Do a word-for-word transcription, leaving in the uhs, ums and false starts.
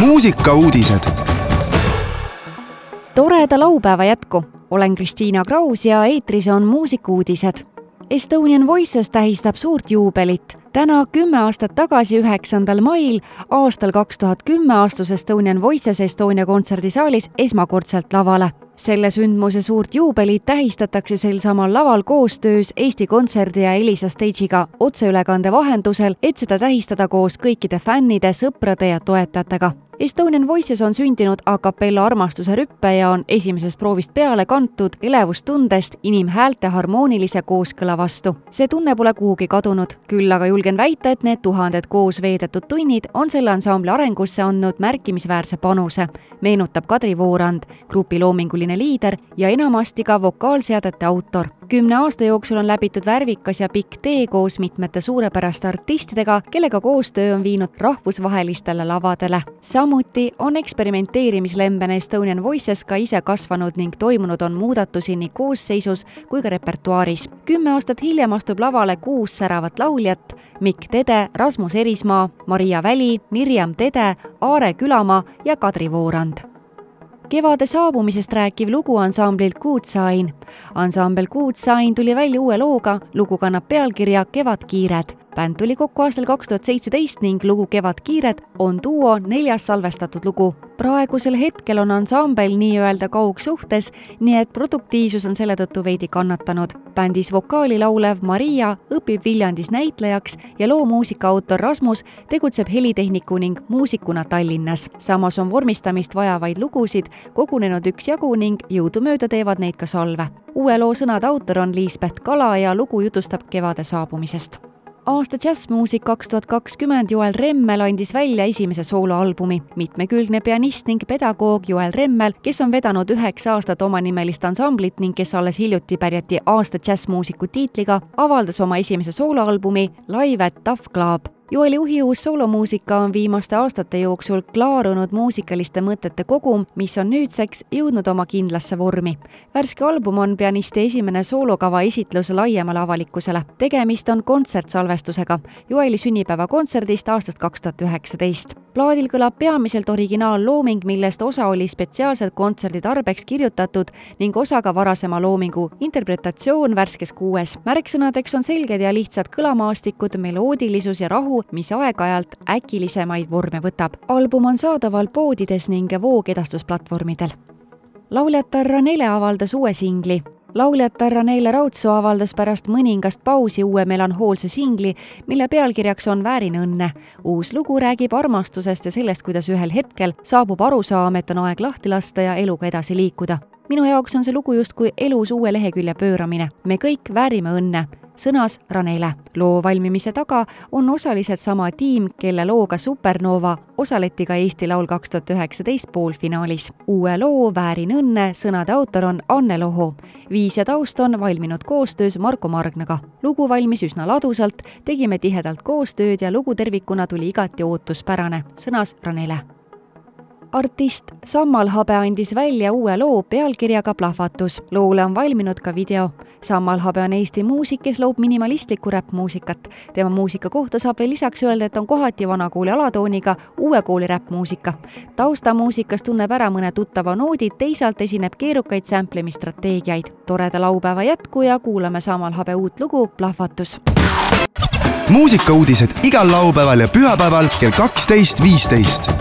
muusikauudised. Toreda laupäeva jätku. Olen Kristiina Kraus ja eetris on muusikauudised. Estonian Voices tähistab suurt juubelit. Täna kümme aastat tagasi üheksandal mail aastal kaks tuhat kümme astus Estonian Voices Estonia kontserdisaalis esmakordselt lavale. Selle sündmuse suurt juubelit tähistatakse sel samal laval koostöös Eesti Kontserdi ja Elisa Stage'iga otseülekande vahendusel, et seda tähistada koos kõikide fännide, sõprade ja toetajatega. Estonian Voices on sündinud a cappella armastuse rüppe ja on esimesest proovist peale kantud elevustundest inimhäälte harmoonilise kooskõla vastu. See tunne pole kuhugi kadunud, küll aga julgen väita, et need tuhanded koos veedetud tunnid on selle ansambli arengusse andnud märkimisväärse panuse, meenutab Kadri Voorand, grupi loominguline liider ja enamasti ka vokaalseadete autor. Kümne aasta jooksul on läbitud värvikas ja pikk tee koos mitmete suurepäraste artistidega, kellega koostöö on viinud rahvusvahelistele lavadele. Samuti on eksperimenteerimislembene Estonian Voices ka ise kasvanud ning toimunud on muudatusi nii koosseisus kui ka repertuaaris. Kümme aastat hiljem astub lavale kuus säravat lauljat: Mikk Tede, Rasmus Erismaa, Maria Väli, Mirjam Tede, Aare Külamaa ja Kadri Voorand. Kevade saabumisest rääkiv lugu ansamblilt Kuutsain. Ansambel Kuutsain tuli välja uue looga, lugu kannab pealkirja Kevadkiired. Bänd tuli kokku aastal kaks tuhat seitseteist ning lugu Kevadkiired on duo neljas salvestatud lugu. Praegusel hetkel on ansambel nii-öelda kaugsuhtes, nii et produktiivsus on selle tõttu veidi kannatanud. Bändis vokaali laulev Maria õpib Viljandis näitlejaks ja loo muusika autor Rasmus tegutseb helitehniku ning muusikuna Tallinnas. Samas on vormistamist vajavaid lugusid kogunenud üksjagu ning jõudumööda teevad neid ka salve. Uue loo sõnade autor on Liisbeth Kala ja lugu jutustab kevade saabumisest. Aasta jazzmuusik kaks tuhat kakskümmend Joel Remmel andis välja esimese sooloalbumi. Mitmekülgne pianist ning pedagoog Joel Remmel, kes on vedanud üheksa aastat omanimelist ansamblit ning kes alles hiljuti pärjati aasta jazzmuusiku tiitliga, avaldas oma esimese sooloalbumi Live at Tough Club. Joeli uhiuus soolomuusika on viimaste aastate jooksul klaarunud muusikaliste mõtete kogum, mis on nüüdseks jõudnud oma kindlasse vormi. Värske album on pianisti esimene soolokava esitlus laiemale avalikkusele. Tegemist on kontsertsalvestusega Joeli sünnipäeva kontserdist aastast kaks tuhat üheksateist. Plaadil kõlab peamiselt originaallooming, millest osa oli spetsiaalselt kontserdi tarbeks kirjutatud ning osa ka varasema loomingu interpretatsioon värskes kuues. Märksõnadeks on selged ja lihtsad kõlamaastikud, meloodilisus ja rahu, mis aeg-ajalt äkilisemaid vorme võtab. Album on saadaval poodides ning voogedastusplatvormidel. Lauljatar Ranele avaldas uue singli. Lauljatar Ranele Raudsoo avaldas pärast mõningast pausi uue melanhoolse singli, mille pealkirjaks on Väärin õnne. Uus lugu räägib armastusest ja sellest, kuidas ühel hetkel saabub arusaam, et on aeg lahti lasta ja eluga edasi liikuda. Minu jaoks on see lugu justkui elus uue lehekülje pööramine. Me kõik väärime õnne, sõnas Ranele. Loo valmimise taga on osaliselt sama tiim, kelle looga Supernova osaleti ka Eesti Laul kaks tuhat üheksateist poolfinaalis. Uue loo Väärin õnne sõnade autor on Anne Loho. Viis ja taust on valminud koostöös Marko Margnaga. Lugu valmis üsna ladusalt, tegime tihedalt koostööd ja lugu tervikuna tuli igati ootuspärane, sõnas Ranele. Artist Sammal Habe andis välja uue loo pealkirjaga Plahvatus. Loole on valminud ka video. Sammal Habe on Eesti muusik, kes loob minimalistlikku räppmuusikat. Tema muusika kohta saab veel lisaks öelda, et on kohati vanakooli alatooniga uue kooli räppmuusika. Taustamuusikas tunneb ära mõne tuttava noodid, teisalt esineb keerukaid sämplemistrateegiaid. Toreda laupäeva jätku ja kuulame Sammal Habe uut lugu Plahvatus. Muusikauudised igal laupäeval ja pühapäeval kell kaksteist viisteist.